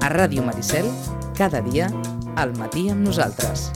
A Ràdio Maricel, cada dia, al matí amb nosaltres.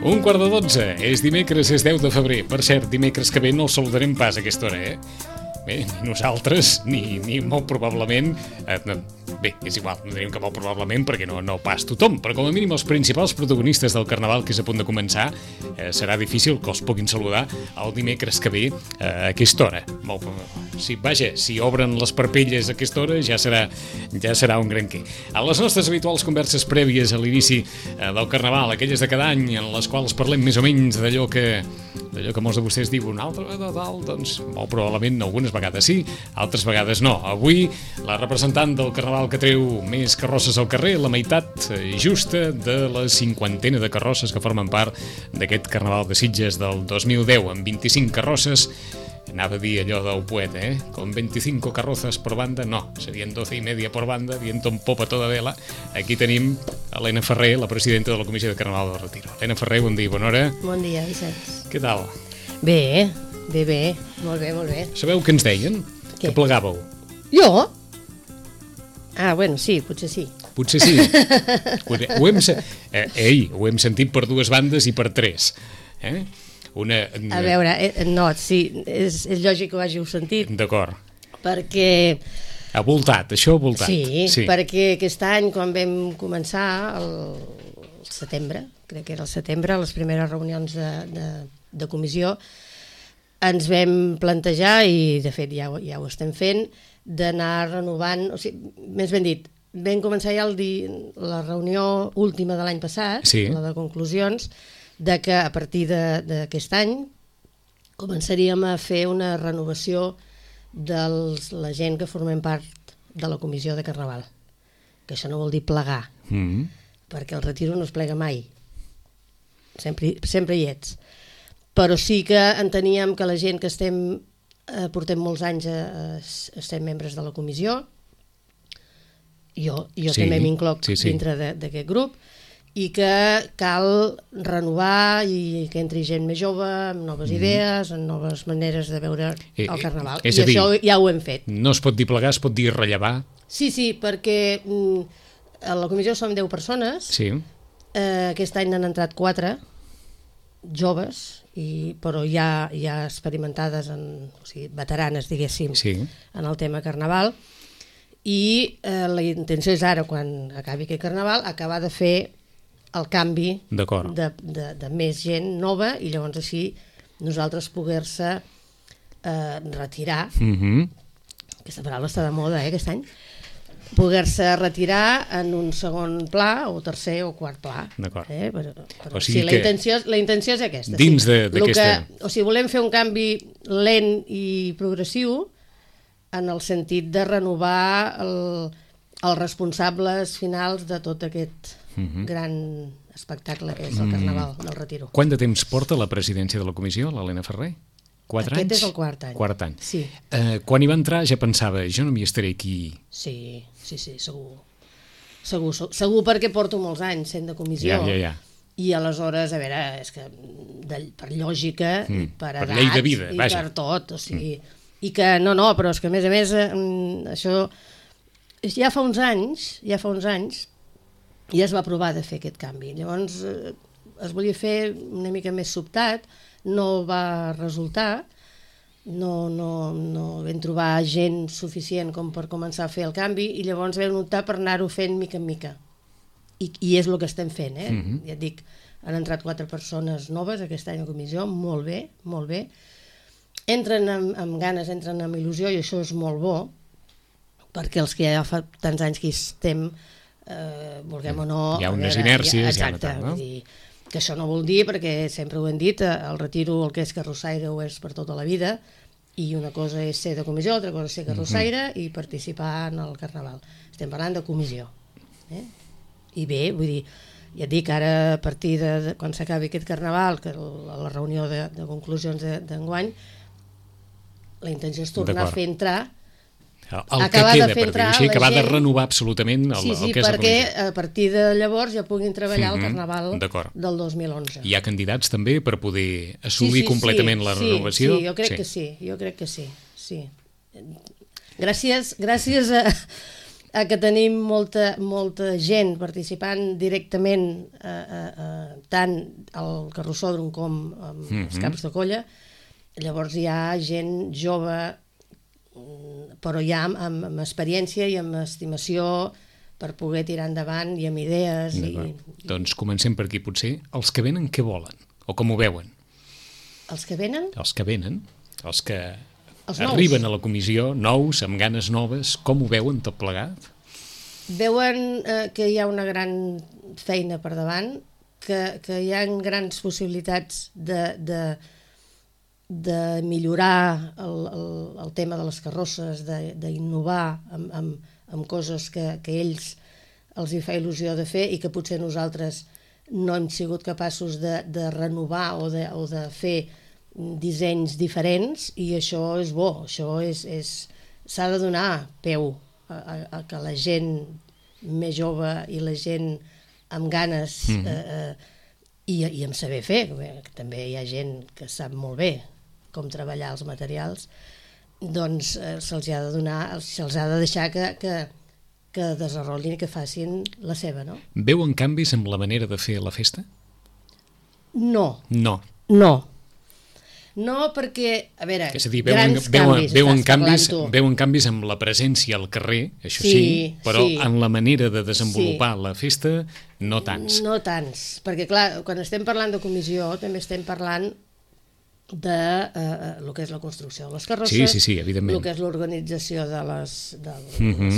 Un quart de 12, és dimecres, és 10 de febrer. Per cert, dimecres que ve no el saludarem pas a aquesta hora, Bé, ni nosaltres, ni molt probablement... Bé, és igual, no diríem que molt probablement perquè no pas tothom, però com a mínim els principals protagonistes del Carnaval que és a punt de començar serà difícil que els puguin saludar el dimecres que ve a aquesta hora. Si obren les parpelles a aquesta hora ja serà un gran què. A les nostres habituals converses prèvies a l'inici del Carnaval, aquelles de cada any en les quals parlem més o menys d'allò que molts de vostès diuen una altra vegada dalt, doncs molt probablement algunes vegades sí, altres vegades no. Avui la representant del Carnaval que treu més carrosses al carrer, la meitat justa de la 50ena de carrosses que formen part d'aquest Carnaval de Sitges del 2010, amb 25 carrosses. Anava a dir allò del poeta, con 25 carrozas por banda, no, serien 12 y media por banda, viento en popa toda vela. Aquí tenim Helena Ferrer, la presidenta de la Comissió de Carnaval del Retiro. Helena Ferrer, bon dia, bona hora. Bon dia, Vicenç. Què tal? Bé, molt bé. Sabeu què ens deien? Què? Que plegàveu. Jo? Ah, bueno, sí, potser sí. Potser sí. Ho hem sentit per dues bandes i per tres. A veure, no, sí, és lògic que ho hàgiu sentit. D'acord. Perquè... Ha voltat, això ha voltat. Sí, perquè aquest any, quan vam començar, el setembre, crec que era el setembre, les primeres reunions de comissió, ens vam plantejar, i de fet ja ho estem fent, d'anar renovant, o sigui, més ben dit, vam començar ja la reunió última de l'any passat, sí, la de conclusions, de que a partir d'aquest any començaríem a fer una renovació de la gent que formem part de la comissió de Carnaval, que això no vol dir plegar, perquè el retiro no es plega mai, sempre hi ets, però sí que enteníem que la gent que portem molts anys estem membres de la comissió, jo sí, també m'incloc sí. dintre d'aquest grup, i que cal renovar i que entri gent més jove, amb noves idees, amb noves maneres de veure el Carnaval. I això ja ho hem fet. No es pot dir plegar, es pot dir rellevar? Sí, perquè a la comissió som 10 persones, sí. Aquest any n'han entrat 4 joves, però ja experimentades, o sigui, veteranes, diguéssim, sí, en el tema Carnaval, i la intenció és ara, quan acabi aquest Carnaval, acabar de fer el canvi de més gent nova i llavors així nosaltres poder-se retirar, aquesta paraula està de moda aquest any, poder-se retirar en un segon pla o tercer o quart pla. D'acord. Però sí, la intenció és aquesta. Dins d'aquesta... O sigui, volem fer un canvi lent i progressiu en el sentit de renovar els responsables finals de tot aquest gran espectacle que és el Carnaval del Retiro. Quant de temps porta la presidència de la comissió, l'Helena Ferrer? 4 anys? Aquest és el quart any. Quart any. Sí. Quan hi va entrar ja pensava, jo no m'hi estaré aquí. Sí, segur perquè porto molts anys sent de comissió. Ja. I aleshores, a veure, és que per lògica, per edat, per llei de vida, i per tot, o sigui... I que no, però és que a més, això ja fa uns anys, ja es va provar de fer aquest canvi. Llavors es volia fer una mica més sobtat, no va resultar, no vam trobar gent suficient com per començar a fer el canvi i llavors vam optar per anar-ho fent mica en mica. I és el que estem fent, Ja et dic, han entrat 4 persones noves aquest any a comissió, molt bé. Entren amb ganes, entren amb il·lusió i això és molt bo, perquè els que ja fa tants anys que hi estem, vulguem o no... Hi ha unes inèrcies. Exacte, vull dir que això no vol dir, perquè sempre ho hem dit, el retiro el que és carrossaire ho és per tota la vida, i una cosa és ser de comissió, altra cosa és ser carrossaire i participar en el Carnaval. Estem parlant de comissió. I bé, vull dir, ja et dic, ara a partir de quan s'acabi aquest carnaval, que la reunió de conclusions d'enguany, la intenció és tornar a fer entrar el que queda, per dir-ho així, acabar de renovar absolutament el que és la comissió. perquè a partir de llavors ja puguin treballar el carnaval del 2011. Hi ha candidats també per poder assolir completament la renovació? Sí, jo crec que sí. Gràcies a que tenim molta gent participant directament tant al carrossòdrom com als caps de colla. Llavors hi ha gent jove, però ja amb experiència i amb estimació per poder tirar endavant i amb idees. Doncs comencem per aquí, potser. Els que venen, què volen? O com ho veuen? Els que venen? Els que venen, els que arriben a la comissió, nous, amb ganes noves, com ho veuen tot plegat? Veuen que hi ha una gran feina per davant, que hi ha grans possibilitats de millorar el tema de les carrosses, d'innovar amb coses que ells els hi fa il·lusió de fer i que potser nosaltres no hem sigut capaços de renovar o de fer dissenys diferents, i això és bo, això s'ha de donar peu a que la gent més jove i la gent amb ganes i amb saber fer, que també hi ha gent que sap molt bé com treballar els materials, doncs se'ls ha de donar, se'ls ha de deixar que desenvolupin i que facin la seva, no? Veuen canvis en la manera de fer la festa? No. No. No. No, perquè, a veure, és a dir, grans canvis, veuen canvis amb la presència al carrer, això sí, però en la manera de desenvolupar la festa no tants. No tants, perquè clar, quan estem parlant de comissió també estem parlant de el que és la construcció de les carrosses, sí, evidentment, el que és l'organització de les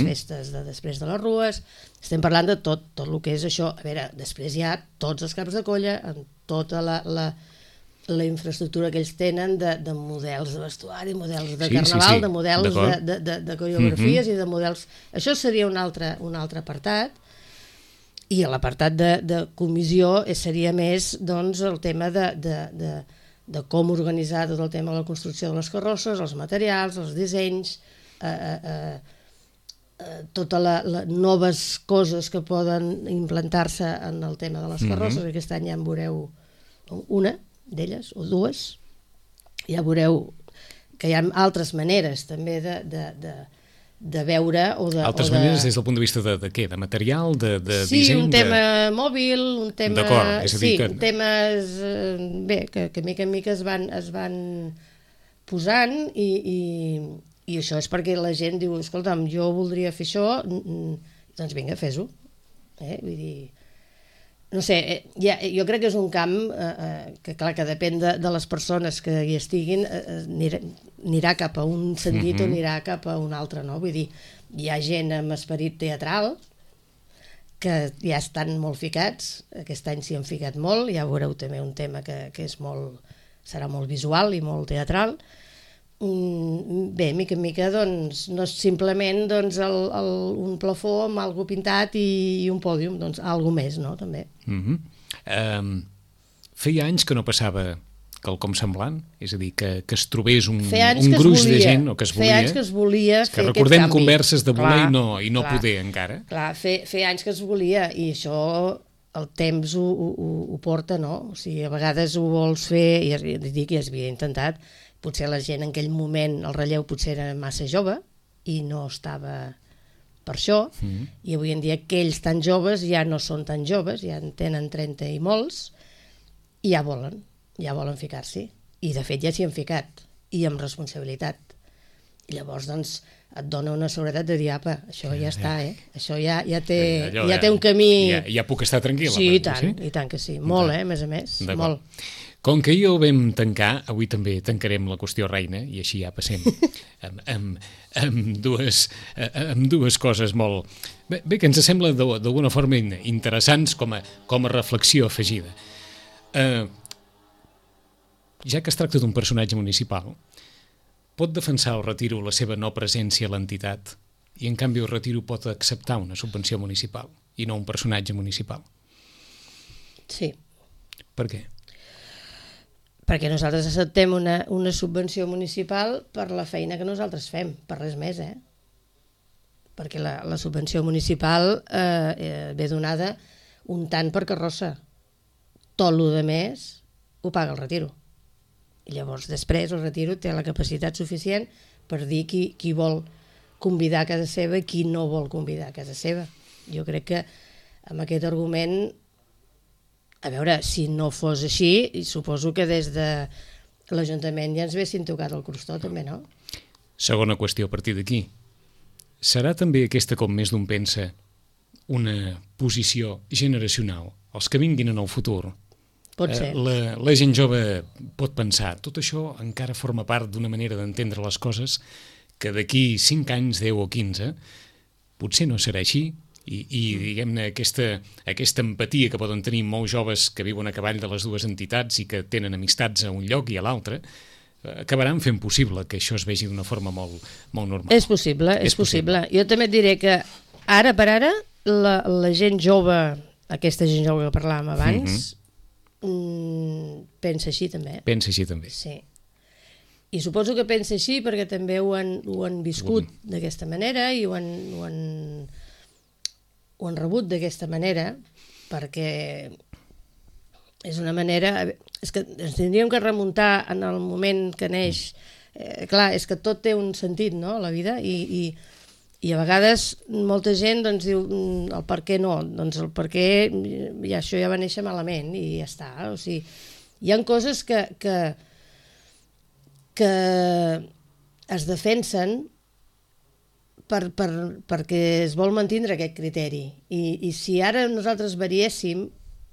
festes de després de les rues, estem parlant de tot el que és això. A veure, després hi ha tots els caps de colla, amb tota la infraestructura que ells tenen de models de vestuari, models de carnaval, de models de coreografies i de models... Això seria un altre apartat, i l'apartat de comissió seria més doncs, el tema de com organitzar tot el tema de la construcció de les carrosses, els materials, els dissenys, totes les noves coses que poden implantar-se en el tema de les carrosses. Aquest any ja en veureu una d'elles, o dues. Ja veureu que hi ha altres maneres també de veure altres maneres des del punt de vista de què? De material, de disseny? Sí, un tema mòbil, un tema... D'acord, és a dir que... temes que mica en mica es van posant i això és perquè la gent diu, escolta'm, jo voldria fer això, doncs vinga, fes-ho. Vull dir... No sé, jo crec que és un camp que, clar, que depèn de les persones que hi estiguin, anirà cap a un sentit o anirà cap a un altre, no? Vull dir, hi ha gent amb esperit teatral que ja estan molt ficats, aquest any s'hi han ficat molt, ja veureu també un tema que és serà molt visual i molt teatral. Bé, mica en mica, doncs, no és simplement un plafó amb algo pintat i un pòdium, doncs algo més, no?, també. Feia anys que no passava quelcom semblant, és a dir, que es trobés un gruix de gent, o que es volia... Feia anys que es volia fer aquest canvi. Recordem converses de voler i no poder encara. Clar, feia anys que es volia, i això el temps ho porta, no? O sigui, a vegades ho vols fer, i dic, ja s'havia intentat. Potser la gent en aquell moment, el relleu potser era massa jove i no estava per això, i avui en dia aquells tan joves ja no són tan joves, ja en tenen 30 i molts, i ja volen ficar-s'hi, i de fet ja s'hi han ficat, i amb responsabilitat. I llavors doncs et dona una seguretat de dir, apa, això ja està, això ja té un camí... Ja puc estar tranquil·la. Sí, i tant que sí, molt, a més, molt. Com que ahir ho vam tancar, avui també tancarem la qüestió reina, i així ja passem amb dues coses molt... Bé, que ens sembla d'alguna forma interessants com a reflexió afegida. Ja que es tracta d'un personatge municipal, pot defensar o retiro la seva no presència a l'entitat i en canvi el retiro pot acceptar una subvenció municipal i no un personatge municipal? Sí. Per què? Perquè nosaltres acceptem una subvenció municipal per la feina que nosaltres fem, per res més, perquè la subvenció municipal ve donada un tant per carrossa. Tot el de més ho paga el retiro. I llavors després el retiro té la capacitat suficient per dir qui vol convidar a casa seva i qui no vol convidar a casa seva. Jo crec que amb aquest argument, a veure, si no fos així, suposo que des de l'Ajuntament ja ens haguessin tocat el crostó, també, no? Segona qüestió a partir d'aquí. Serà també aquesta, com més d'un pensa, una posició generacional? Els que vinguin en el futur. Pot ser. La gent jove pot pensar, tot això encara forma part d'una manera d'entendre les coses que d'aquí 5 anys, 10 o 15, potser no serà així, i diguem-ne, aquesta empatia que poden tenir molts joves que viuen a cavall de les dues entitats i que tenen amistats a un lloc i a l'altre, acabaran fent possible que això es vegi d'una forma molt normal. És possible, és possible. Jo també et diré que ara per ara la gent jove, aquesta gent jove que parlàvem abans, pensa així també. Pensa així també. Sí. I suposo que pensa així perquè també ho han viscut d'aquesta manera i ho han rebut d'aquesta manera, perquè és una manera... És que ens tindríem que remuntar en el moment que neix. Clar, és que tot té un sentit, no?, a la vida, i a vegades molta gent doncs, diu el per què no, doncs el per què això ja va néixer malament i ja està. O sigui, hi ha coses que es defensen perquè es vol mantindre aquest criteri, i si ara nosaltres variéssim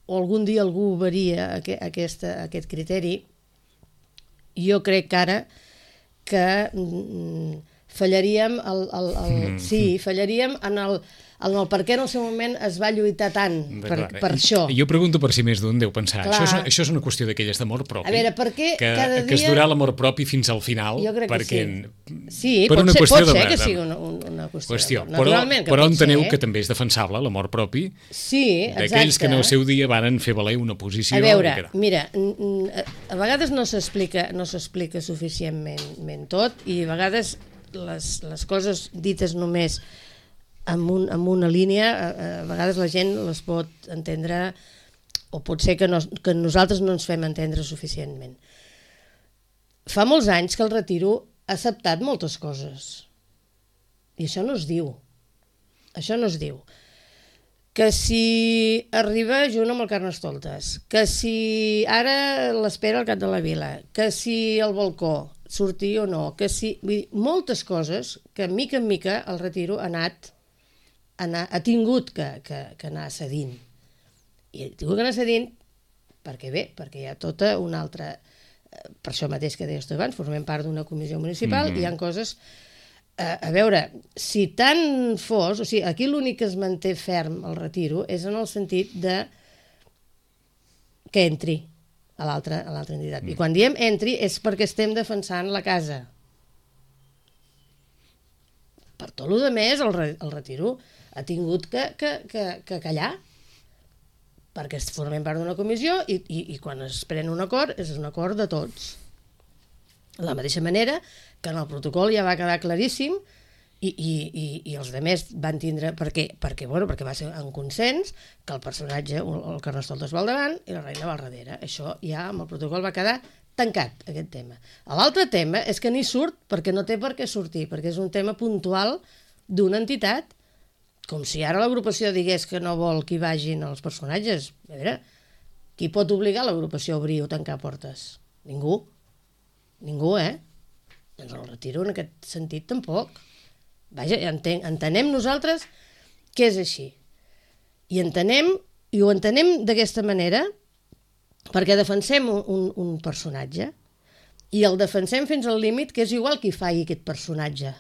o algun dia algú varia aquest criteri, jo crec que ara que fallaríem fallaríem en el per què en el seu moment es va lluitar tant per això. Jo pregunto per si més d'un deu pensar. Això és una qüestió d'aquelles d'amor propi. A veure, per què cada dia... Que es durà l'amor propi fins al final. Jo crec perquè, que sí. Per pot una ser que sigui una qüestió. Però enteneu que també és defensable l'amor propi, sí, d'aquells que en el seu dia varen fer valer una posició. A veure, mira, a vegades no s'explica suficientment tot, i a vegades les coses dites només amb una línia, a vegades la gent les pot entendre, o pot ser que nosaltres no ens fem entendre suficientment. Fa molts anys que el Retiro ha acceptat moltes coses, i això no es diu. Això no es diu. Que si arriba junt amb el Carnestoltes, que si ara l'espera al cap de la vila, que si el balcó sortir o no, que si... Vull dir, moltes coses que mica en mica el Retiro ha tingut que anar cedint. I ha tingut que anar cedint perquè hi ha tota una altra... Per això mateix que deies tu abans, formem part d'una comissió municipal, i hi ha coses... A veure, si tant fos... O sigui, aquí l'únic que es manté ferm el Retiro és en el sentit de que entri a l'altra entitat. I quan diem entri és perquè estem defensant la casa. Per tot el més, el Retiro ha tingut que callar, perquè formem part d'una comissió i quan es pren un acord és un acord de tots. De la mateixa manera que en el protocol ja va quedar claríssim i els altres van tindre... Perquè va ser en consens que el personatge, el Carnestoltes va al davant i la reina va al darrere. Això ja amb el protocol va quedar tancat, aquest tema. L'altre tema és que ni surt perquè no té per què sortir, perquè és un tema puntual d'una entitat, com si ara l'agrupació digués que no vol que hi vagin els personatges. A veure, qui pot obligar l'agrupació a obrir o tancar portes? Ningú. Ningú, Doncs el Retiro en aquest sentit tampoc. Vaja, entenem nosaltres que és així. I ho entenem d'aquesta manera perquè defensem un personatge i el defensem fins al límit que és igual qui faci aquest personatge.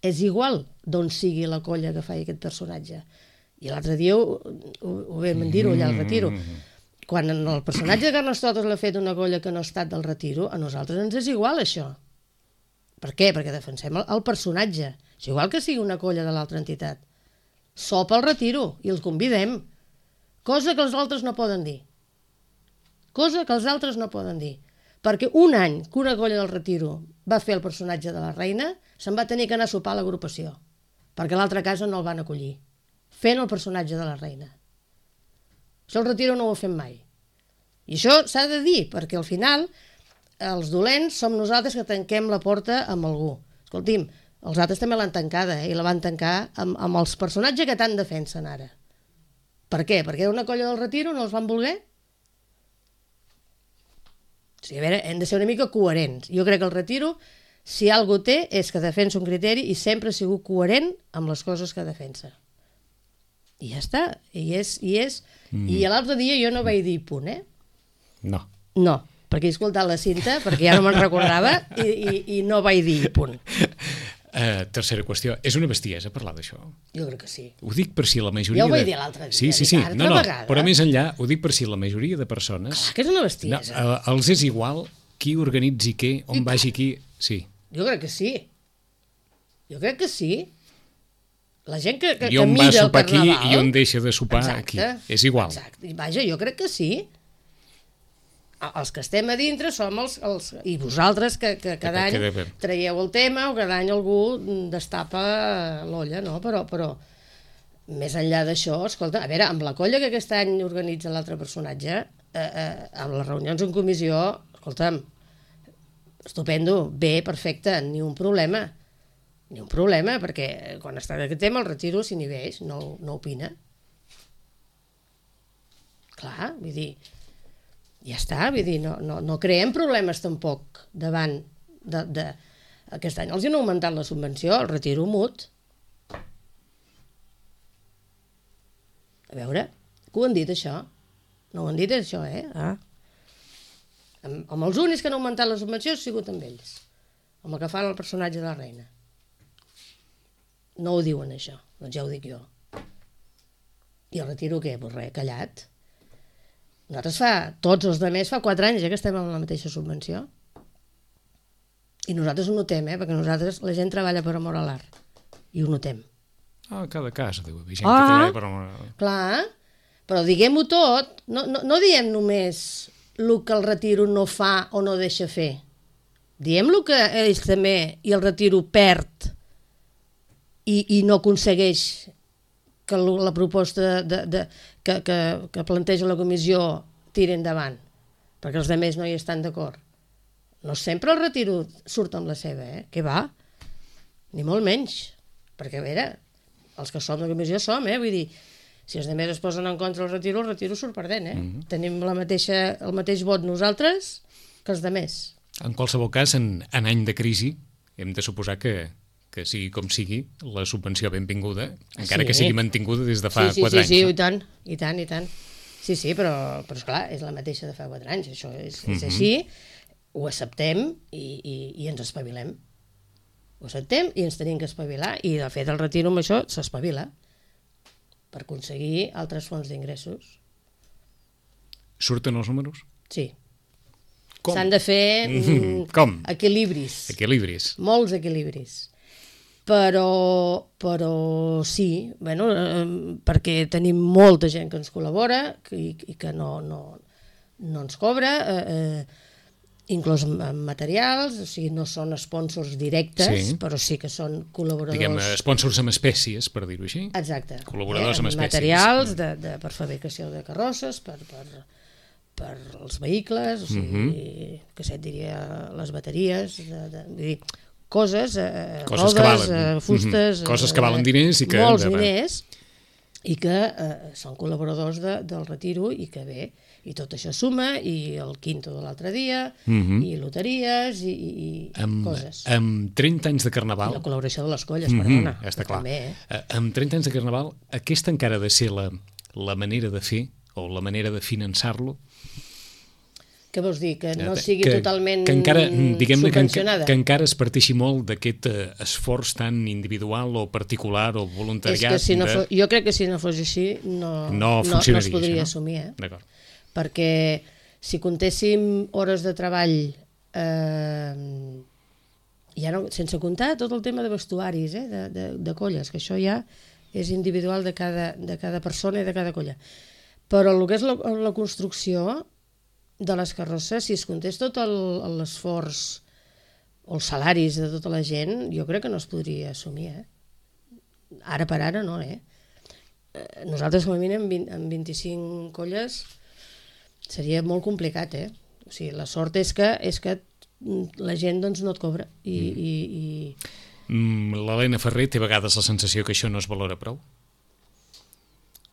És igual d'on sigui la colla que faci aquest personatge. I l'altre dia ho vam dir-ho allà al Retiro. Quan el personatge de Carnestoltes l'ha fet una colla que no ha estat del Retiro, a nosaltres ens és igual això. Per què? Perquè defensem el personatge. És igual que sigui una colla de l'altra entitat. Sopa al Retiro i els convidem. Cosa que els altres no poden dir. cosa que els altres no poden dir. Perquè un any que una colla del Retiro va fer el personatge de la reina, se'n va tenir que anar a sopar a l'agrupació, perquè a l'altra casa no el van acollir, fent el personatge de la reina. Això el Retiro no ho ha fet mai. I això s'ha de dir, perquè al final els dolents som nosaltres que tanquem la porta amb algú. Escolti'm, els altres també l'han tancada, i la van tancar amb els personatges que tant defensen ara. Per què? Perquè era una colla del Retiro, no els van voler? O sigui, a veure, hem de ser una mica coherents. Jo crec que el Retiro, si algú té, és que defensa un criteri i sempre ha sigut coherent amb les coses que defensa. I ja està. I l'altre dia jo no vaig dir punt, No. No, perquè he escoltat la cinta, perquè ja no me'n recordava, i no vaig dir punt. Tercera qüestió. És una bestiesa parlar d'això? Jo crec que sí. Ho dic per si la majoria... Ja ho vaig dir l'altre dia. Sí. No, però més enllà, ho dic per si la majoria de persones... Clar que és una bestiesa. Els és igual qui organitzi què, on vagi qui... Sí. Jo crec que sí. La gent que I on va mira el sopar aquí carnaval... i on deixa de sopar aquí. És igual. Exacte. I vaja, jo crec que sí. Els que estem a dintre som els i vosaltres que cada any traieu el tema o cada any algú destapa l'olla, no? Però més enllà d'això, escolta, a veure, amb la colla que aquest any organitza l'altre personatge, amb les reunions en comissió, escolta'm, estupendo, bé, perfecte, ni un problema, perquè quan està aquest tema el Retiro s'inhibeix, no opina. Clar, vull dir, ja està, vull dir, no creem problemes tampoc davant de... Aquest any els han augmentat la subvenció, el Retiro mut. A veure, que ho han dit això? No ho han dit això, Amb els únics que han augmentat la subvenció ha sigut amb ells, amb el que fan el personatge de la reina. No ho diuen això, doncs ja ho dic jo. I el Retiro què? Pues res, callat. Nosaltres tots els altres fa 4 anys que estem amb la mateixa subvenció. I nosaltres ho notem, perquè nosaltres, la gent treballa per amor a l'art. I ho notem. Cada cas, deu haver gent que treballa per amor a l'art. Clar, però diguem-ho tot. No diem només el que el Retiro no fa o no deixa fer. Diem el que ells també i el Retiro perd i no aconsegueix que la proposta que planteja la comissió tiri endavant, perquè els altres no hi estan d'acord. No sempre el Retiro surt amb la seva, què va? Ni molt menys, perquè a veure, els que som de comissió som, vull dir, si els altres es posen en contra el Retiro surt perdent, Tenim el mateix vot nosaltres que els altres. En qualsevol cas, en any de crisi, hem de suposar que sigui com sigui, la subvenció benvinguda, encara que sigui mantinguda des de fa 4 anys. Sí, i tant. Sí, però esclar, és la mateixa de fa 4 anys, això és així, ho acceptem i ens espavilem. Ho acceptem i ens tenim que espavilar, i de fet el Retiro amb això s'espavila per aconseguir altres fonts d'ingressos. Surten els números? Sí. Com? S'han de fer equilibris. Molts equilibris. Però sí, perquè tenim molta gent que ens col·labora i que no ens cobra, inclús amb materials, o sigui, no són sponsors directes, però sí que són col·laboradors... Diguem, sponsors amb espècies, per dir-ho així. Exacte. Col·laboradors amb espècies. Materials per fabricació de carrosses, per els vehicles, o sigui, que et diria les bateries, vull dir, coses rodes, fustes... Coses que valen diners i que... Molts diners, i que són col·laboradors del Retiro, i que bé, i tot això suma, i el quinto de l'altre dia, i loteries, i coses. Amb 30 anys de Carnaval... I la col·laboració de les colles, perdona. Ja està clar. També, amb 30 anys de Carnaval, aquesta encara ha de ser la manera de fer, o la manera de finançar-lo? Què vols dir? Que no sigui totalment subvencionada? Que encara es parteixi molt d'aquest esforç tan individual o particular o voluntariat? Jo crec que si no fos així no es podria assumir. D'acord. Perquè si comptéssim hores de treball, sense comptar tot el tema de vestuaris, de colles, que això ja és individual de cada persona i de cada colla. Però el que és la construcció, de les carrosses, si es comptés tot l'esforç o els salaris de tota la gent, jo crec que no es podria assumir, Ara per ara no, Nosaltres, com a mínim, amb 25 colles seria molt complicat, O sigui, la sort és que la gent doncs, no et cobra. L'Helena Ferrer té a vegades la sensació que això no es valora prou?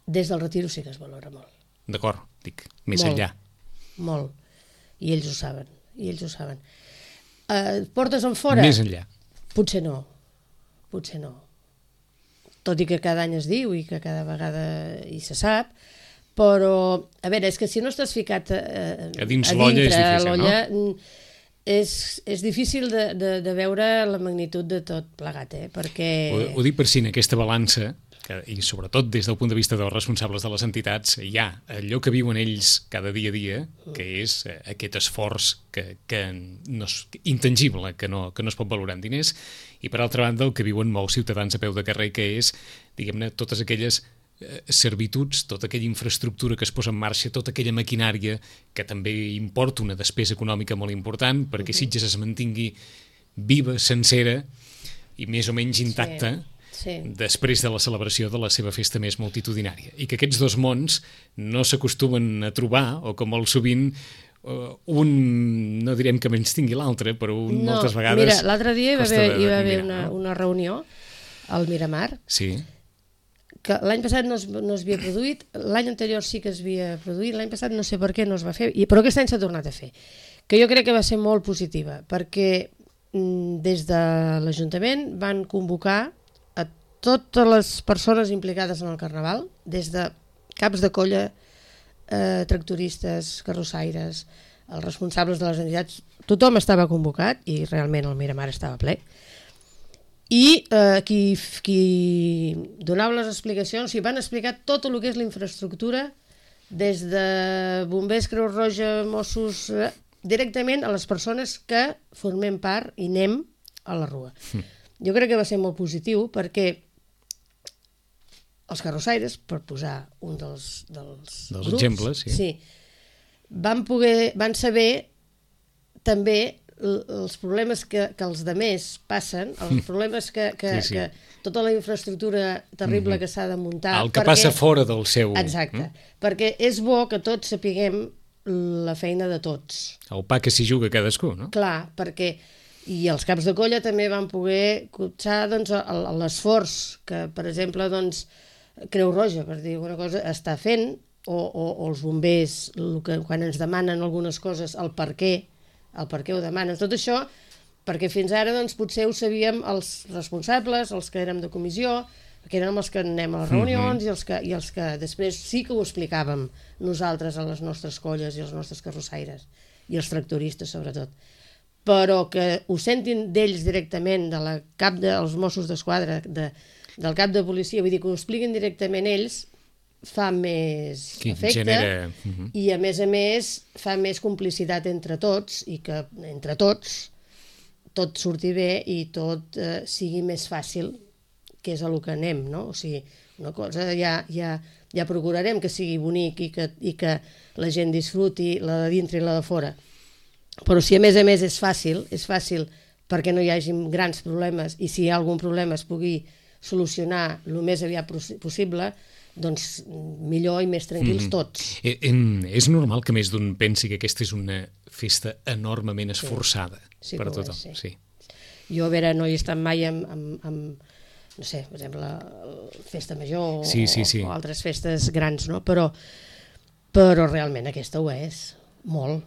Des del retiro sí que es valora molt. D'acord, dic, més molt, enllà. Molt. I ells ho saben. Portes en fora? Més enllà. Potser no. Tot i que cada any es diu i que cada vegada hi se sap, però, a veure, és que si no estàs ficat a dins l'olla és difícil, no? És difícil de veure la magnitud de tot plegat, perquè... Ho dic per si en aquesta balança, i sobretot des del punt de vista dels responsables de les entitats, hi ha allò que viuen ells cada dia a dia, que és aquest esforç intangible, que no es pot valorar en diners, i per altra banda el que viuen molts ciutadans a peu de carrer, que és, diguem-ne, totes aquelles servituds, tota aquella infraestructura que es posa en marxa, tota aquella maquinària que també importa una despesa econòmica molt important perquè Sitges es mantingui viva, sencera i més o menys intacta després de la celebració de la seva festa més multitudinària. I que aquests dos mons no s'acostumen a trobar, o com molt sovint un, no direm que menys tingui l'altre, però moltes vegades... Mira, l'altre dia hi va haver una reunió al Miramar, que l'any passat no es havia produït, l'any anterior sí que es havia produït, l'any passat no sé per què no es va fer, però aquest any s'ha tornat a fer, que jo crec que va ser molt positiva, perquè des de l'Ajuntament van convocar a totes les persones implicades en el Carnaval, des de caps de colla, tractoristes, carrossaires, els responsables de les entitats, tothom estava convocat i realment el Miramar estava ple. I qui donava les explicacions, van explicar tot el que és la infraestructura, des de bombers, Creu Roja, Mossos, directament a les persones que formem part i anem a la Rua. Jo crec que va ser molt positiu perquè els carrossaires, per posar un dels grups, exemples, van saber també els problemes que els demés passen, els problemes que tota la infraestructura terrible que s'ha de muntar... El que passa fora del seu... Exacte, perquè és bo que tots sapiguem la feina de tots. El pa que s'hi juga cadascú, no? Clar, perquè... I els caps de colla també van poder cotxar l'esforç que, per exemple, Creu Roja, per dir alguna cosa, està fent, o els bombers, quan ens demanen algunes coses, el per què ho demanen, tot això, perquè fins ara potser ho sabíem els responsables, els que érem de comissió, que érem els que anem a les reunions i els que després sí que ho explicàvem nosaltres a les nostres colles i als nostres carrossaires i els tractoristes sobretot, però que ho sentin d'ells directament, dels Mossos d'Esquadra, del cap de policia, vull dir que ho expliquin directament ells, fa més efecte i a més fa més complicitat entre tots i que entre tots tot surti bé i tot sigui més fàcil, que és a lo que anem, no? O sigui, una cosa ja procurarem que sigui bonic i que la gent disfruti la de dintre i la de fora, però si a més és fàcil perquè no hi hagi grans problemes i si hi ha algun problema es pugui solucionar el més aviat possible, doncs millor i més tranquils tots. És normal que més d'un pensi que aquesta és una festa enormement esforçada per a tothom. Sí. Jo, a veure, no hi he estat mai amb no sé, per exemple, Festa Major o altres festes grans, no? Però realment aquesta ho és, molt.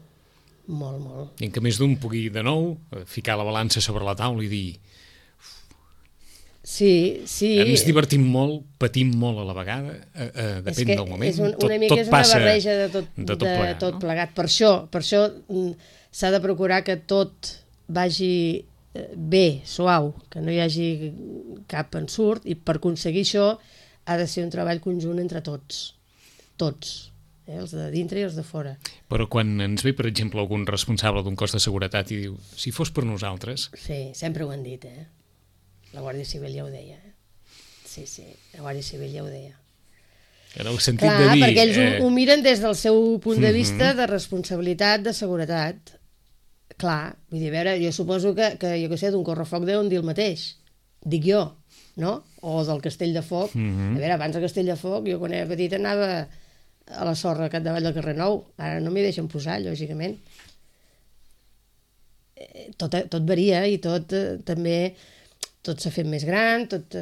I en què més d'un pugui de nou ficar la balança sobre la taula i dir sí. Ens divertim molt, patim molt a la vegada, depèn del moment. Una mica és una barreja de tot plegat. Per això s'ha de procurar que tot vagi bé, suau, que no hi hagi cap ensurt, i per aconseguir això ha de ser un treball conjunt entre tots, els de dintre i els de fora. Però quan ens ve, per exemple, algun responsable d'un cos de seguretat i diu, si fos per nosaltres... Sí, sempre ho han dit, La Guàrdia Civil ja ho deia. Sí, la Guàrdia Civil ja ho deia. En el sentit Clar, de dir... perquè ells ho miren des del seu punt de vista de responsabilitat, de seguretat. Clar, vull dir, a veure, jo suposo que jo què sé, d'un correfoc deuen dir el mateix. Dic jo, no? O del Castell de Foc. A veure, abans del Castell de Foc, jo quan era petita anava a la sorra al capdavall del carrer Nou. Ara no m'hi deixen posar, lògicament. Tot varia i tot també... Tot s'ha fet més gran, tot...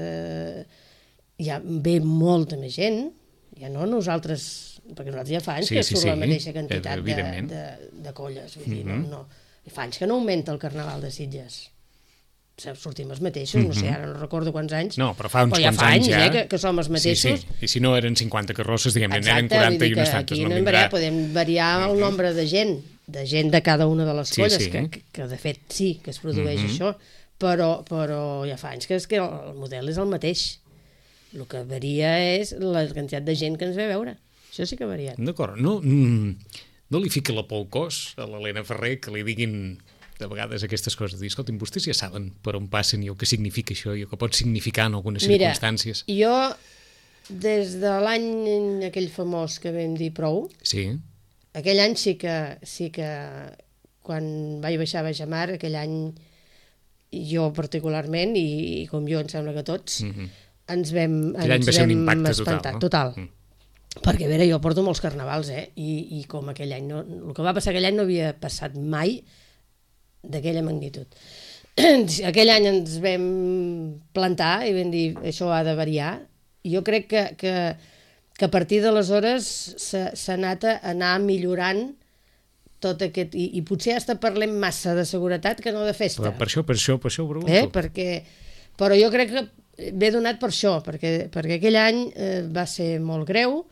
Hi ha ve molta més gent. Ja no nosaltres, perquè nosaltres ja fa anys que surt la mateixa quantitat de colles, vull dir, no. Fa anys que no augmenta el Carnaval de Sitges. Sortim els mateixos, no sé, ara no recordo quants anys. No, però fa uns quants anys ja. Que som els mateixos. Sí. I si no eren 50 carrosses, diguem-ne, eren 40 i unes tantes. Aquí podem variar el nombre de gent de cada una de les colles, que de fet sí, que es produeix això, però ja fa anys que el model és el mateix. El que varia és la quantitat de gent que ens ve a veure. Això sí que ha variat. D'acord. No li fiqui la por al cos a l'Helena Ferrer que li diguin de vegades aquestes coses. Dir, escolta'm, vostès ja saben per on passen i el que significa això i el que pot significar en algunes circumstàncies. Mira, jo, des de l'any aquell famós que vam dir prou, aquell any sí que quan vaig baixar a Baixamar, aquell any jo particularment, i com jo em sembla que tots, ens vam espantar, total. Perquè, a veure, jo porto molts carnavals, i com aquell any, el que va passar aquell any no havia passat mai d'aquella magnitud. Aquell any ens vam plantar i vam dir, això ha de variar. Jo crec que a partir d'aleshores s'ha anat a anar millorant tot aquest... I potser hasta parlem massa de seguretat que no de festa. Per això ho pregunto. Però jo crec que ve donat per això, perquè aquell any va ser molt greu,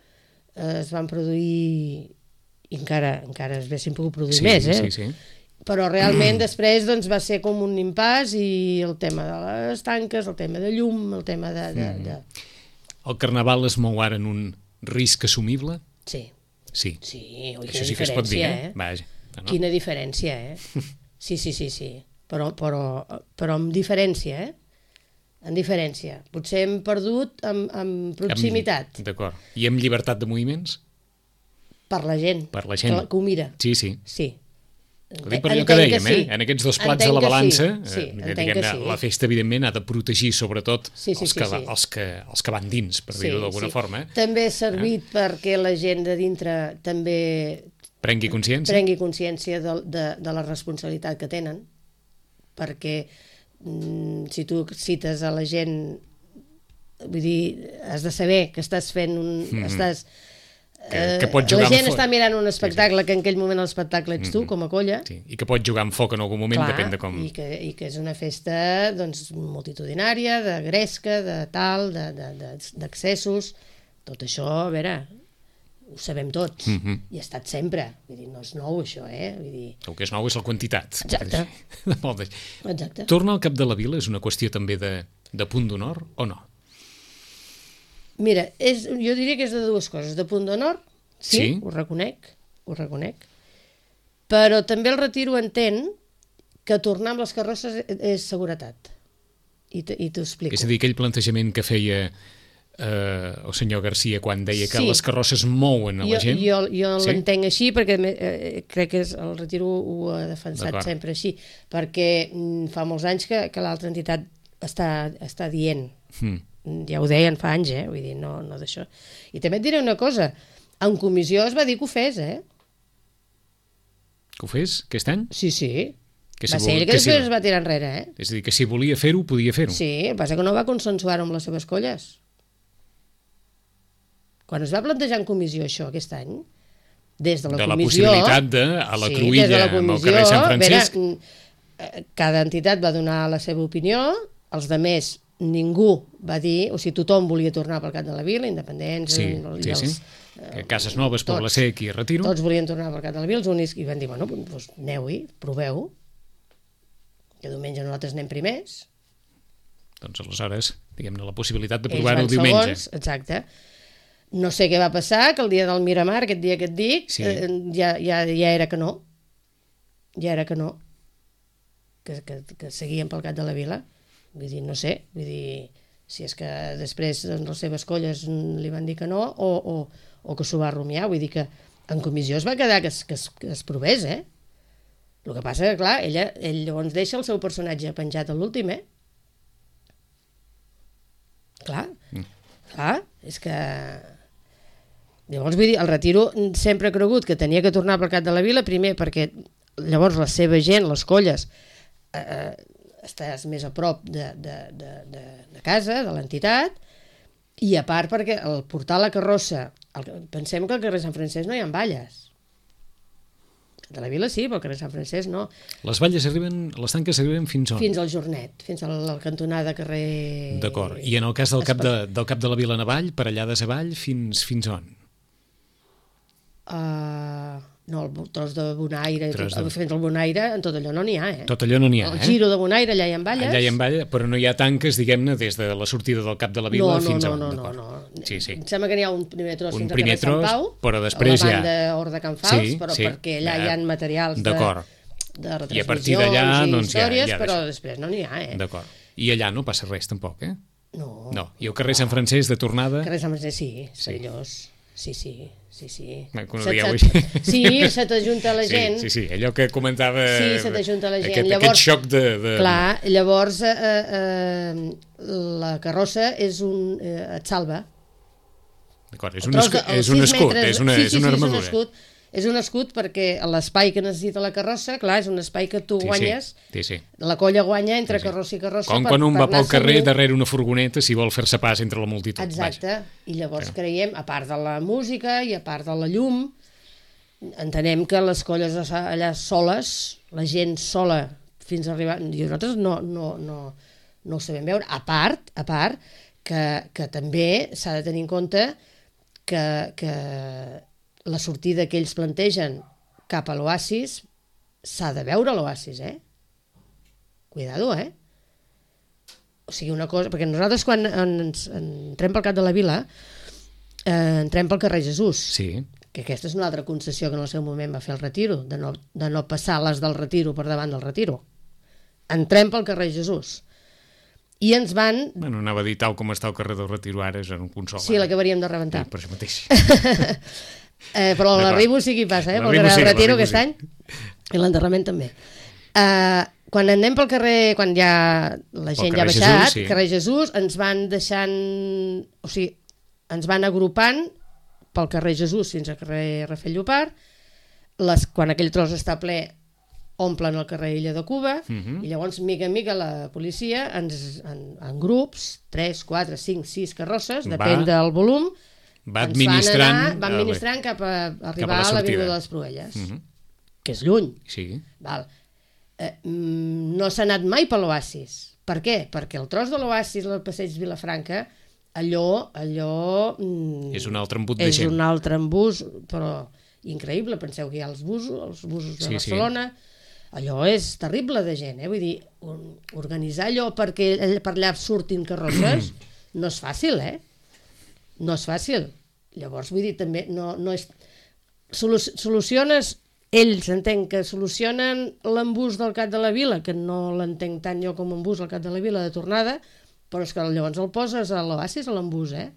es van produir, i encara es haguessin pogut produir més, Sí. Però realment després doncs, va ser com un impàs i el tema de les tanques, el tema de llum, el tema de... El Carnaval es mou ara en un risc assumible? Sí. Sí. Ui, això sí que es pot dir, Vaja. No? Quina diferència, Sí. Però amb diferència, En diferència. Potser hem perdut amb proximitat. D'acord. I amb llibertat de moviments? Per la gent. Que ho mira. Sí. Ho dic per allò que dèiem, en aquests dos plats de la balança, la festa, evidentment, ha de protegir, sobretot, els que van dins, per dir-ho d'alguna forma. També ha servit perquè la gent de dintre també prengui consciència de la responsabilitat que tenen, perquè si tu cites a la gent, vull dir, has de saber que estàs fent que pot jugar la gent està mirant un espectacle que en aquell moment l'espectacle ets tu, com a colla. I que pot jugar amb foc en algun moment, depèn de com... I que és una festa multitudinària, de gresca, de tal, d'accessos. Tot això, a veure, ho sabem tots. I ha estat sempre. Vull dir, no és nou, això, Vull dir... El que és nou és la quantitat. Exacte. Tornar al cap de la vila és una qüestió també de punt d'honor o no? Mira, jo diria que és de dues coses. De punt d'honor, sí, ho reconec, però també el Retiro entén que tornar amb les carrosses és seguretat. I t'ho explico. És a dir, aquell plantejament que feia el senyor Garcia quan deia que les carrosses mouen a la gent. Jo l'entenc així perquè crec que el Retiro ho ha defensat sempre així, perquè fa molts anys que l'altra entitat està dient... Ja ho deien fa anys, vull dir, no d'això. I també et diré una cosa, en comissió es va dir que ho fes, Que ho fes, aquest any? Sí. Va ser ell que després es va tirar enrere, És a dir, que si volia fer-ho, podia fer-ho. Sí, el que passa que no va consensuar-ho amb les seves colles. Quan es va plantejar en comissió això aquest any, des de la comissió... De la possibilitat a la Cruïlla, amb el carrer Sant Francesc... Cada entitat va donar la seva opinió, els demés ningú va dir, o sigui, tothom volia tornar pel cap de la vila, independents... Sí. Cases Noves, Poble Sec i Retiro. Tots volien tornar pel cap de la vila, els únics, i van dir, bueno, doncs aneu-hi, proveu, que diumenge nosaltres anem primers. Doncs aleshores, diguem-ne, la possibilitat de provar-ho diumenge. Segons, exacte. No sé què va passar, que el dia del Miramar, aquest dia que et dic, ja era que no. Ja era que no. Que seguien pel cap de la vila. Vull dir, no sé, si és que després les seves colles li van dir que no, o que s'ho va rumiar. Vull dir que en comissió es va quedar que es provés, eh? El que passa que, clar, ell llavors deixa el seu personatge penjat a l'últim, eh? Clar, és que... Llavors, vull dir, el Retiro sempre ha cregut que tenia que tornar pel cap de la vila, primer perquè llavors la seva gent, les colles, estàs més a prop de casa, de l'entitat, i a part perquè al portar la carrossa, pensem que al carrer Sant Francesc no hi ha balles. De la vila sí, però al carrer Sant Francesc no. Les balles arriben, les tanques arriben fins on? Fins al Jornet, fins a la cantonada carrer... D'acord, i en el cas del cap de la Vila Navall, per allà des avall, fins on? No, el tros de Bonaire, fins al Bonaire, en tot allò no n'hi ha, eh? Tot allò no n'hi ha, El giro de Bonaire, allà hi ha balles. Allà hi ha balles, però no hi ha tanques, diguem-ne, des de la sortida del cap de la vila fins a on. No. Sí. Em sembla que n'hi ha un primer tros fins al carrer tros, Sant Pau, però després a la banda Hort de Can Fals, però perquè allà hi ha materials de retransmissions i a partir d'allà, doncs, històries, però després no n'hi ha, eh? D'acord. I allà no passa res, tampoc, eh? No. I el carrer Sant Francesc de tornada? El carrer Sant Francesc, sí, perillós. Sí. Sí, se t'ajunta la gent. Sí, allò que comentava... Sí, se t'ajunta la gent. Aquest xoc de... Clar, llavors la carrossa et salva. D'acord, és un escut, és una armadura. És un escut perquè l'espai que necessita la carrossa, clar, és un espai que tu guanyes, la colla guanya entre carrossa i carrossa. Com quan un va pel carrer darrere una furgoneta si vol fer-se pas entre la multitud. Exacte, i llavors creiem, a part de la música i a part de la llum, entenem que les colles allà soles, la gent sola fins a arribar... I nosaltres no ho sabem veure, a part que també s'ha de tenir en compte que la sortida que ells plantegen cap a l'oasis, s'ha de veure l'oasis, eh? Cuidado, eh? O sigui, una cosa... Perquè nosaltres quan entrem pel cap de la vila, entrem pel carrer Jesús. Sí. Que aquesta és una altra concessió que en el seu moment va fer el Retiro, de no passar les del Retiro per davant del Retiro. Entrem pel carrer Jesús. I ens van... Bueno, anava a dir tal com està el carrer del Retiro ara, és en un consol. Sí, l'acabaríem de rebentar. Sí, per això mateix. Però l'arribo sí que hi passa, pel carrer del Retiro aquest any, i l'enterrament també. Quan anem pel carrer, quan ja la gent ja ha baixat, carrer Jesús, ens van deixant, o sigui, ens van agrupant pel carrer Jesús fins al carrer Rafael Llopart, quan aquell tros està ple omplen el carrer Illa de Cuba, i llavors mica en mica la policia en grups, 3, 4, 5, 6 carrosses, depèn del volum, va administrant cap a arribar a l'avinguda de les Proelles, que és lluny. Sí. Val. No s'ha anat mai per l'oasis. Per què? Perquè el tros de l'oasis, el passeig Vilafranca, allò... és un altre embut de gent. És un altre embús, però increïble. Penseu que hi ha els busos de Barcelona. Allò és terrible de gent, eh? Vull dir, organitzar allò perquè per allà surtin carrosses no és fàcil, eh? No és fàcil. Llavors, vull dir, també no és... Soluciones, ells entenc que solucionen l'embús del cap de la vila, que no l'entenc tant jo com embús al cap de la vila de tornada, però és que llavors el poses a l'oasis, a l'embús, eh?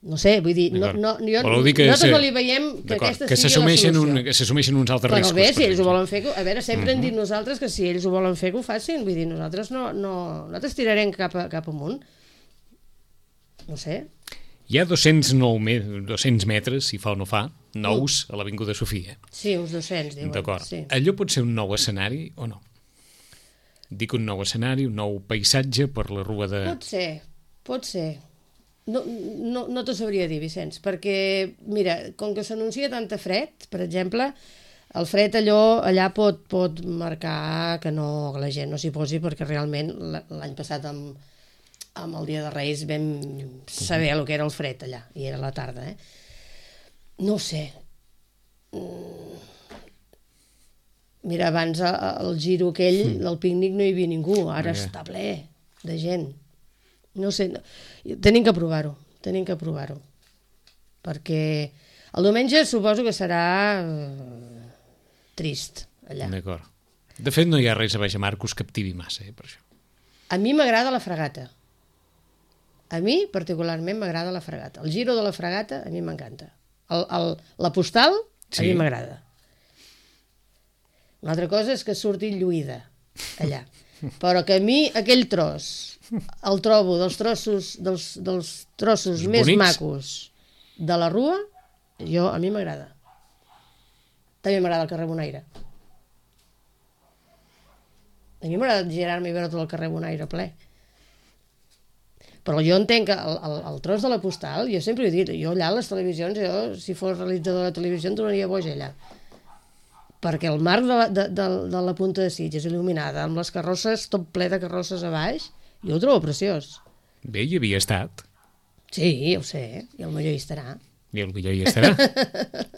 No sé, vull dir, nosaltres no li veiem que aquesta sigui la solució. Que s'assumeixen uns altres riscos. Però bé, si ells ho volen fer... A veure, sempre hem dit nosaltres que si ells ho volen fer, que ho facin. Vull dir, nosaltres nosaltres tirarem cap amunt. No sé. Hi ha 200 metres, si fa o no fa, nous a l'Avinguda Sofia. Sí, uns 200, diuen. D'acord. Sí. Allò pot ser un nou escenari o no? Dic un nou escenari, un nou paisatge per la Rua de... Pot ser. No t'ho sabria dir, Vicenç, perquè, mira, com que s'anuncia tanta fred, per exemple, el fred allà pot marcar que la gent no s'hi posi, perquè realment l'any passat amb el Dia de Reis vam saber el que era el fred allà, i era la tarda, eh? No ho sé. Mira, abans el giro aquell, del pícnic no hi havia ningú, ara està ple de gent. No sé, tenim que provar-ho, perquè el diumenge suposo que serà trist allà. D'acord. De fet, no hi ha res a Baix a Mar que us captivi massa, per això. A mi m'agrada la Fragata. A mi, particularment, m'agrada la fregata. El giro de la fregata, a mi m'encanta. La postal, a mi m'agrada. Una altra cosa és que surti lluïda, allà. Però que a mi aquell tros el trobo dels trossos més bonics. macos de la Rua, a mi m'agrada. També m'agrada el carrer Bonaire. A mi m'agrada girar-me i veure tot el carrer Bonaire ple. Però jo entenc que el tros de la postal, jo sempre he dit, jo allà a les televisions, si fos realitzador de televisió em tornaria boja allà. Perquè el marc de la Punta de Sitges il·luminada, amb les carrosses, tot ple de carrosses a baix, jo ho trobo preciós. Bé, hi havia estat. Sí, ja ho sé, i el millor hi estarà. I el millor hi estarà.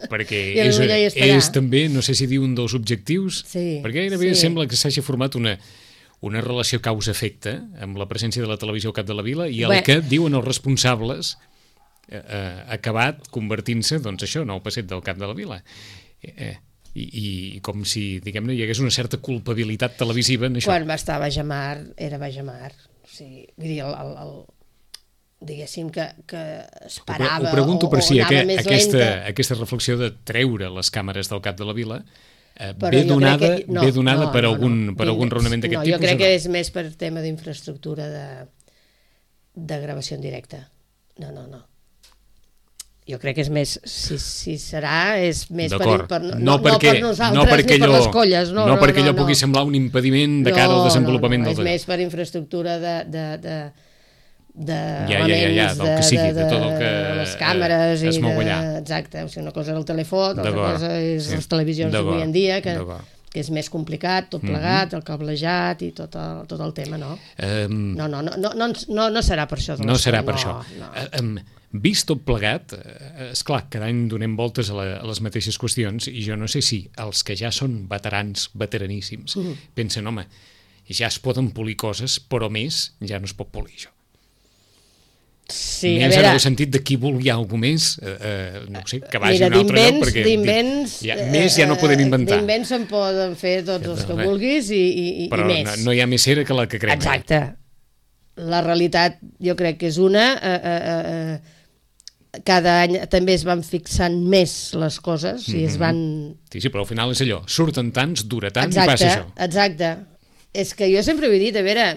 Perquè és també, no sé si dir un dels objectius, perquè gairebé sembla que s'hagi format una relació causa-efecte amb la presència de la televisió al cap de la vila i el que diuen els responsables ha acabat convertint-se, doncs això, en el passeig del cap de la vila. I com si, diguem-ne, hi hagués una certa culpabilitat televisiva en això. Quan va estar a Bajamar, era Bajamar. O sigui, vull dir, diguéssim que es parava ho pregunto per si aquesta reflexió de treure les càmeres del cap de la vila ve donada per algun raonament d'aquest tipus? Jo crec que és més per tema d'infraestructura de gravació en directe. No. Jo crec que és més, si serà, és més per nosaltres, ni per les colles. No perquè allò pugui semblar un impediment de cara al desenvolupament del és més per infraestructura de del que sigui, de tot el que les càmeres es mou allà. Exacte, o sigui, una cosa és el telèfon, l'altra cosa és les televisions d'avui en dia, que és més complicat, tot plegat, el cablejat i tot el tema, no? No serà per això. No serà per això. Vist tot plegat, esclar, cada any donem voltes a les mateixes qüestions i jo no sé si els que ja són veteraníssims pensen, home, ja es poden polir coses, però més ja no es pot polir això. Sí, més en el sentit de qui vulgui alguna més, no sé, que vagi a un altre lloc, perquè més ja no podem inventar. D'invents se'n poden fer tots els que vulguis i però més. Però no hi ha més cera que la que crema. Exacte. La realitat jo crec que és una... cada any també es van fixant més les coses i es van... Sí, però al final és allò, surten tants, dura tant i passa això. Exacte. És que jo sempre ho he dit, a veure...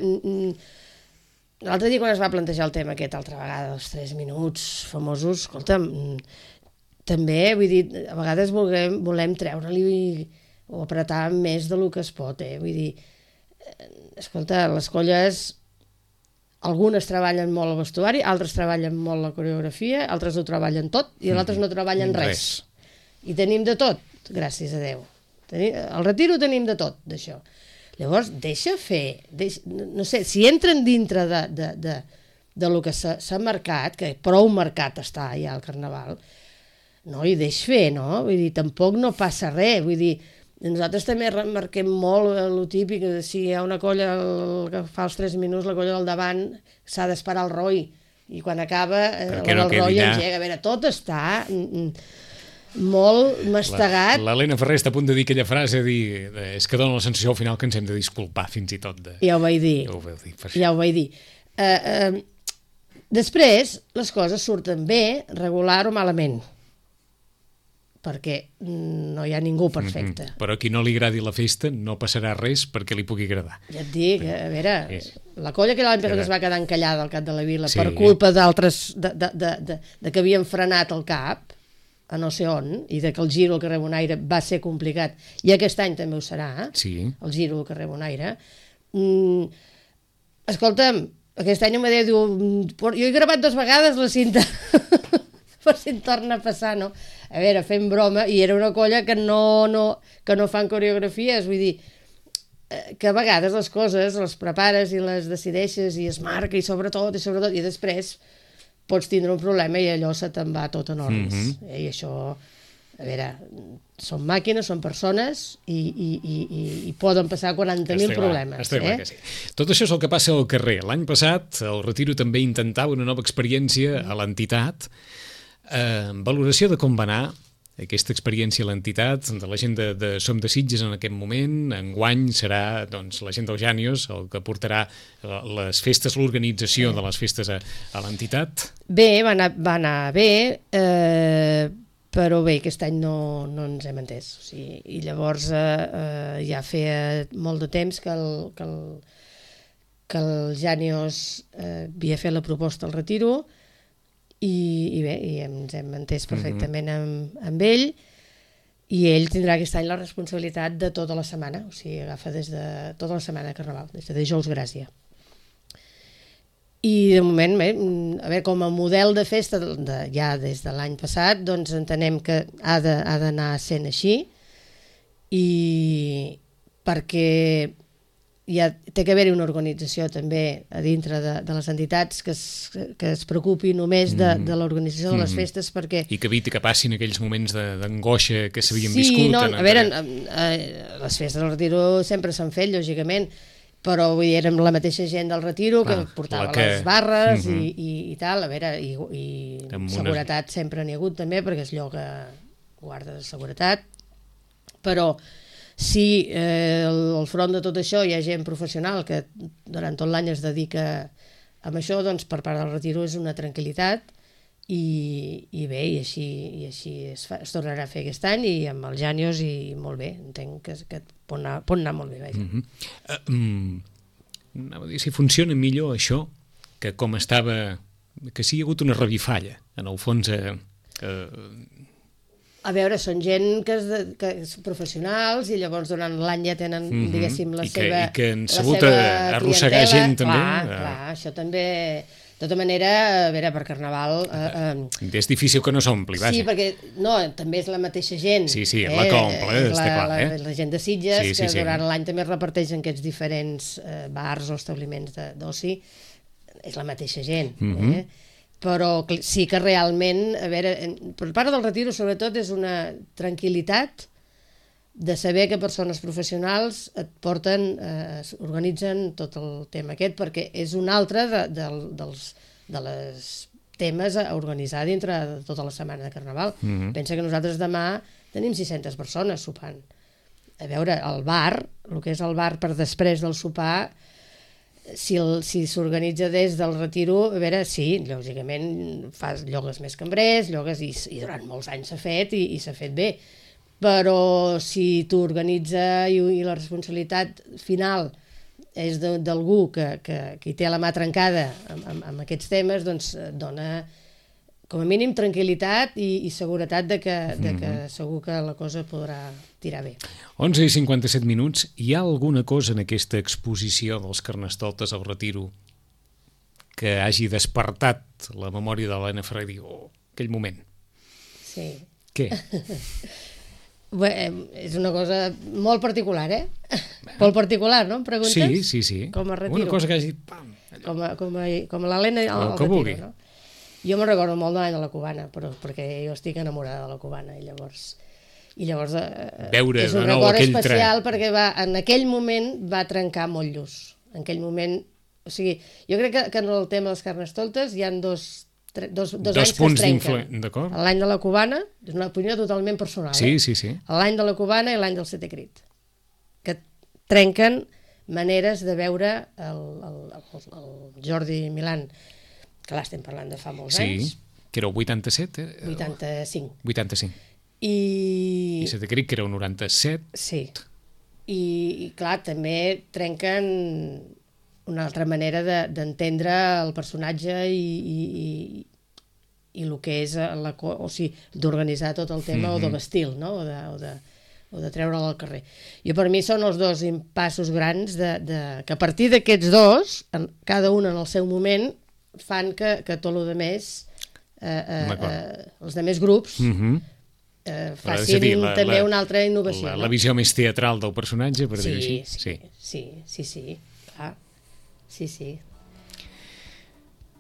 L'altre dia quan es va plantejar el tema aquest, altra vegada, els 3 minuts famosos, escolta'm, també, vull dir, a vegades volem treure-li o apretar més del que es pot, vull dir, escolta, les colles, algunes treballen molt el vestuari, altres treballen molt la coreografia, altres ho treballen tot i altres no treballen res. I tenim de tot, gràcies a Déu. Al Retiro tenim de tot, d'això. Llavors, deixa fer, no sé, si entren dintre de lo que s'ha marcat, que prou marcat està ja el Carnaval, no, i deix fer, no? Vull dir, tampoc no passa res, vull dir, nosaltres també remarquem molt el típic, si hi ha una colla que fa els 3 minuts, la colla del davant s'ha d'esperar el roi, i quan acaba el roi engega, a veure, tot està... molt mastegat. L'Helena Ferrer està a punt de dir aquella frase, és que dona la sensació al final que ens hem de disculpar fins i tot. Ja ho vaig dir. Ja ho vaig dir. Després, les coses surten bé, regular o malament, perquè no hi ha ningú perfecte. Però a qui no li agradi la festa no passarà res perquè li pugui agradar. Ja et dic, a veure, la colla que l'any passat es va quedar encallada al cap de la vila per culpa d'altres, de que havien frenat el cap, a no sé on, i que el giro al carrer Bonaire va ser complicat, i aquest any també ho serà, el giro al carrer Bonaire. Escolta'm, aquest any Amadeu diu, jo he gravat 2 vegades la cinta, per si em torna a passar, no? A veure, fem broma, i era una colla que no fan coreografies, vull dir, que a vegades les coses les prepares i les decideixes i es marca i sobretot, i després pots tindre un problema i allò se te'n va tot en orris. I això, a veure, són màquines, són persones i poden passar 40.000 problemes. Està clar que sí. Tot això és el que passa al carrer. L'any passat el Retiro també intentava una nova experiència a l'entitat. Valoració de com va anar aquesta experiència a l'entitat, de la gent de Som de Sitges en aquest moment. Enguany serà doncs, la gent del Jànios el que portarà les festes, l'organització de les festes a l'entitat. Bé, va anar bé, però bé, aquest any no ens hem entès. O sigui, i llavors ja feia molt de temps que el Jànios havia fet la proposta al retiro, i bé, ens hem entès perfectament amb ell, i ell tindrà aquest any la responsabilitat de tota la setmana, o sigui, agafa des de tota la setmana de Carnaval, des de dijous Gràcia. I de moment, bé, a veure, com a model de festa, ja des de l'any passat, doncs entenem que ha d'anar sent així, i perquè ja té que haver-hi una organització també a dintre de les entitats que es preocupi només de l'organització de les festes, perquè... I que eviti que passin aquells moments d'angoixa que s'havien viscut. Sí, no, a veure, les festes del retiro sempre s'han fet, lògicament, però vull dir, érem la mateixa gent del retiro que portava les barres i tal, a veure, i seguretat sempre n'hi ha hagut també, perquè és lloc guarda de seguretat, però si al front de tot això hi ha gent professional que durant tot l'any es dedica a això, doncs per part del retiro és una tranquil·litat, i bé, i així es tornarà a fer aquest any, i amb els Jànios, i molt bé, entenc que pot anar molt bé, vaja. Anava a dir, si funciona millor això que com estava, que sí hi ha hagut una revifalla, en el fons... A veure, són gent que són professionals, i llavors durant l'any ja tenen, diguéssim, la seva i que han sabut arrossegar gent també. Clar, això també... De tota manera, a veure, per Carnaval... És difícil que no s'ompli, vaja. Sí, perquè també és la mateixa gent. Sí, la que omple, està clar. La gent de Sitges, que durant l'any també es reparteix en aquests diferents bars o establiments d'oci. És la mateixa gent, però sí que realment, a veure, per part del retiro sobretot és una tranquil·litat de saber que persones professionals et porten, organitzen tot el tema aquest, perquè és un altre dels temes a organitzar dintre de tota la setmana de Carnaval. Pensa que nosaltres demà tenim 600 persones sopant. A veure, el bar, el que és el bar per després del sopar, si s'organitza des del retiro, a veure, sí, lògicament llogues més cambrers, i durant molts anys s'ha fet, i s'ha fet bé, però si tu organitza i la responsabilitat final és d'algú que hi té la mà trencada amb aquests temes, doncs dona com a mínim tranquil·litat i seguretat de que segur que la cosa podrà tirar bé. 11:57. Hi ha alguna cosa en aquesta exposició dels Carnestoltes al retiro que hagi despertat la memòria de l'Helena Ferrer i dir, aquell moment? Sí. Què? Bé, és una cosa molt particular, molt particular, no? Em preguntes? Sí. Com a retiro. Una cosa que hagi dit, pam! Com l'Helena al retiro, vulgui. No? Jo me'n recordo molt de l'any de la Cubana, perquè jo estic enamorada de la Cubana, i llavors veure és un record especial perquè en aquell moment va trencar molt lluç. En aquell moment, o sigui, jo crec que en el tema dels Carnestoltes hi ha dos anys que es trenquen. L'any de la Cubana, és una opinió totalment personal, sí. L'any de la Cubana i l'any del Setè Crit, que trenquen maneres de veure el Jordi Milán, que l'estem parlant de fa molts anys. Sí, que era el 87? 85. I Setè Crit, que era el 97. Sí. I clar, també trenquen una altra manera d'entendre el personatge i el que és d'organitzar tot el tema, o de vestir-lo, no? o de treure'l al carrer. Jo, per mi, són els dos impassos grans que a partir d'aquests dos, cada un en el seu moment, fan que tot el que més els altres grups facin també una altra innovació. La visió més teatral del personatge, per dir-ho així. Sí, clar. Sí.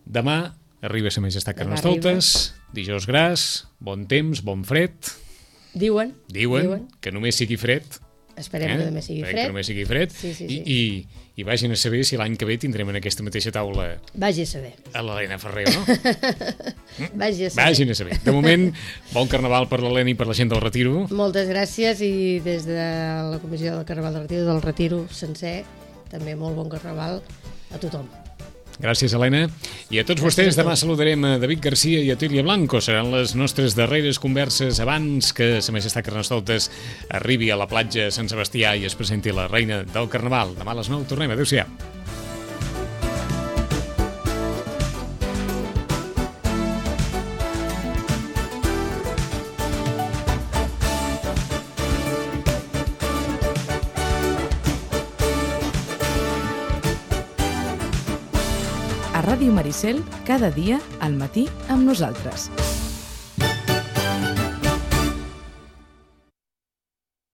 Demà arriba Sa Majestat Carnestoltes, dijous gras, bon temps, bon fred. Diuen que només sigui fred Esperem que també sigui fred. Que també sigui fred. Sí. I vagin a saber si l'any que ve tindrem en aquesta mateixa taula vagi a saber. A l'Helena Ferrer, no? Vagi a saber. Vagin a saber. De moment, bon carnaval per l'Helena i per la gent del Retiro. Moltes gràcies i des de la Comissió del Carnaval del Retiro sencer, també molt bon carnaval a tothom. Gràcies, Helena. I a tots vostès, demà saludarem a David Garcia i a Tília Blanco. Seran les nostres darreres converses abans que Sa Majestat Carnestoltes arribi a la platja Sant Sebastià i es presenti la reina del Carnaval. Demà a les 9 tornem. Adéu-siau. A Ràdio Maricel, cada dia al matí amb nosaltres.